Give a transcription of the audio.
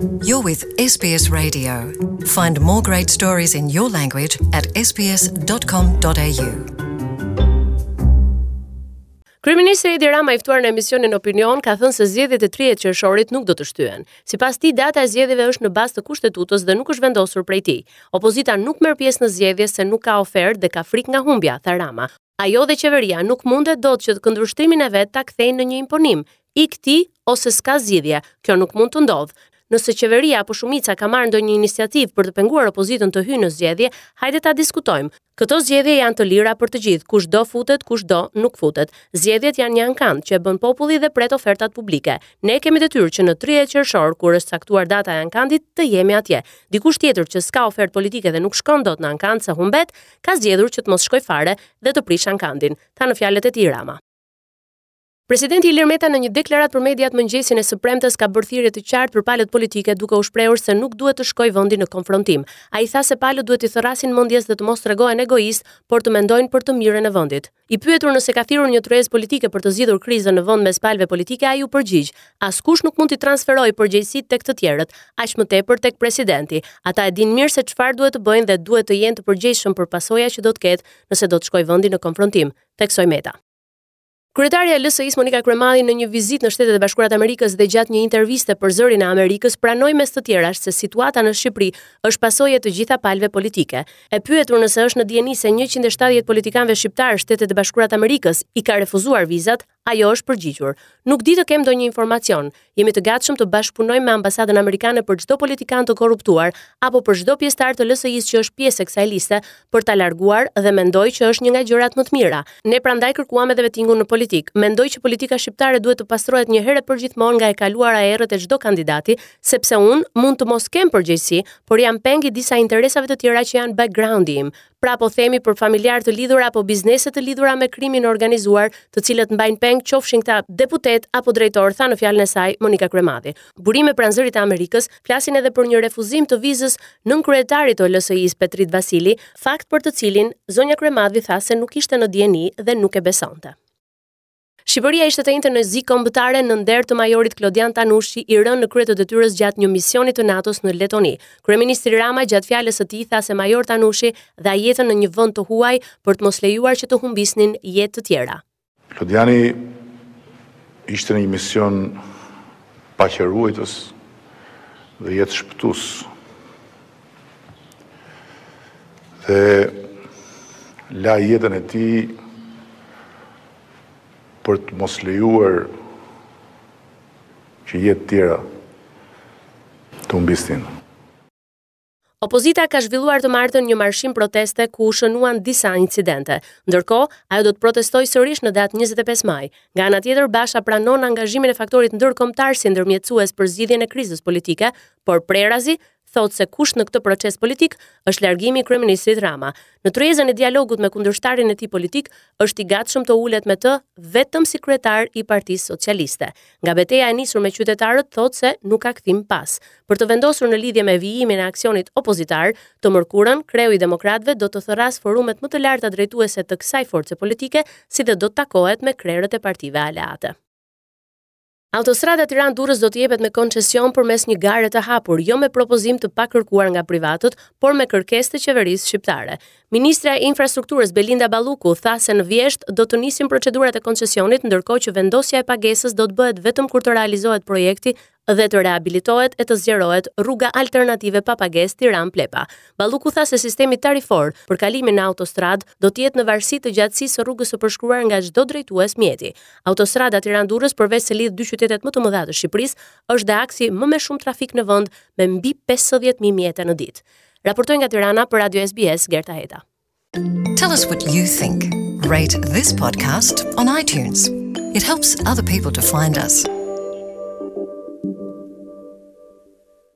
You're with SBS Radio. Find more great stories in your language at sbs.com.au. Kryeministri Edi Rama i ftuar në emisionin Opinion ka thënë se zgjedhjet e 30 qershorit nuk do të shtyhen. Sipas tij, data e zgjedhjeve është në bazë të kushtetutës dhe nuk është vendosur prej tij. Opozita nuk merr pjesë në zgjedhje se nuk ka ofertë dhe ka frikë nga humbja, tha Rama. Ajo dhe qeveria nuk mundet dot që këndvështrimin e vet ta kthejnë në një imponim. Ik ti ose s'ka zgjidhje, kjo nuk mund të ndodhë. Nëse qeveria apo shumica ka marrë ndonjë iniciativë për të penguar opozitën të hyjë në zgjedhje, hajde ta diskutojmë. Këto zgjedhje janë të lira për të gjithë, kush do futet, kush do nuk futet. Zgjedhjet janë një ankand që e bën populli dhe pret ofertat publike. Ne kemi detyrë që në 30 qershor, kur është caktuar data e ankandit, të jemi atje. Dikush tjetër që s'ka ofertë politike dhe nuk shkon dot në ankand se humbet, ka zgjedhur që të mos shkojë fare dhe të prishë ankandin, tha në fjalët e tij Rama. Presidenti Ilir Meta në një deklaratë për mediat mëngjesin e së premtes ka bërë thirrje të qartë për palët politike duke u shprehur se nuk duhet të shkojë vendi në konfrontim. Ai tha se palët duhet t'i thërrasin mendjes dhe të mos tregohen egoistë, por të mendojnë për të mirën e vendit. I pyetur nëse ka thirrur një tryezë politike për të zgjidhur krizën në vend mes palëve politike, ai u përgjigj: Askush nuk mund t'i transferojë përgjegjësitë tek të tjerët, aq më tepër tek presidenti. Ata e dinë mirë se çfarë duhet të bëjnë dhe duhet të jenë të përgjegjshëm për pasoja që do të ketë nëse do të shkojë vendi në konfrontim, theksoi Meta. Kryetarja e LSI-së Monika Kryemadhi në një vizitë në Shtetet e Bashkuara të Amerikës dhe gjatë një interviste për Zërin e Amerikës pranoi mes të tjerash se situata në Shqipëri është pasojë e të gjitha palëve politike. E pyetur nëse është në dijeni se 170 politikanëve shqiptarë Shtetet e Bashkuara të Amerikës i ka refuzuar vizat, ajo është përgjigjur. Nuk di të kem ndonjë informacion. Jemi të gatshëm të bashkëpunojmë me ambasadën amerikane për çdo politikan të korruptuar apo për çdo pjesëtar të LSI-së që është pjesë e kësaj liste për ta larguar dhe mendoj që është një nga gjërat më të mira. Ne prandaj kërkuam edhe vetingun në politikë. Mendoj që politika shqiptare duhet të pastrohet një herë e përgjithmonë nga e kaluara e errët e çdo kandidati, sepse unë mund të mos kem përgjegjësi, por jam peng i disa interesave të tjera që janë background-i im. Pra po themi për familjarë të lidhur apo biznese të lidhura me krimin e organizuar, të cilët mbajnë peng qofshin këta deputetë apo drejtorë, tha në fjalën e saj Monika Kryemadhi. Burime pranë Zërit të Amerikës flasin edhe për një refuzim të vizës nënkryetarit të LSI-së Petrit Vasili, fakt për të cilin zonja Kryemadhi tha se nuk ishte në dijeni dhe nuk e besonte. Shqipëria ishte të enjten në zi kombëtare në nder të majorit Klodian Tanushi i rënë në krye të detyrës gjatë një misioni të NATO-s në Letoni. Kryeministri Rama gjatë fjalës së tij tha se major Tanushi dha jetën në një vend të huaj për të mos lejuar që të humbisnin jetë të tjera. Klodiani ishte në një mision paqeruajtës dhe jetëshpëtues. Dhe la jetën e tij për të mos lejuar që jetë tjera të humbisnin. Opozita ka zhvilluar të martën një marshim proteste ku u shënuan disa incidente. Ndërkohë, ajo do të protestojë sërish në datë 25 maj. Nga ana tjetër, Basha pranon angazhimin e faktorit ndërkombëtar si ndërmjetësues për zgjidhjen e krizës politike, por prerazi thotë se kusht në këtë proces politik është largimi i kryeministrit Rama. Në tryezën e dialogut me kundërshtarin e tij politik, është i gatshëm të ulet me të vetëm si kryetar i Partisë Socialiste. Nga beteja e nisur me qytetarët thotë se nuk ka kthim pas. Për të vendosur në lidhje me vijimin e aksionit opozitar, të mërkurën, kreu i demokratëve do të thërrasë forumet më të larta drejtuese të kësaj force politike, si dhe do të takohet me krerët e partive aleate. Autostrada Tiranë-Durrës do të jepet me koncesion përmes një gare të hapur, jo me propozim të pakërkuar nga privatët, por me kërkesë të qeverisë shqiptare. Ministrja e Infrastrukturës Belinda Balluku tha se në vjeshtë do të nisin procedurat e koncesionit, ndërkohë që vendosja e pagesës do të bëhet vetëm kur të realizohet projekti dhe të rehabilitohet e të zgjerohet rruga alternative pa pagesë Tiranë-Plepa. Balluku tha se sistemi tarifor për kalimin në autostradë do të jetë në varësi të gjatësisë së rrugës së përshkruar nga çdo drejtues mjeti. Autostrada Tiranë-Durrës përveç se lidh dy qytetet më të mëdha të Shqipërisë, është dhe aksi më me shumë trafik në vend me mbi 50.000 mjete në ditë. Raportoi nga Tirana për Radio SBS Gerta Heta. Tell us what you think. Rate this podcast on iTunes. It helps other people to find us.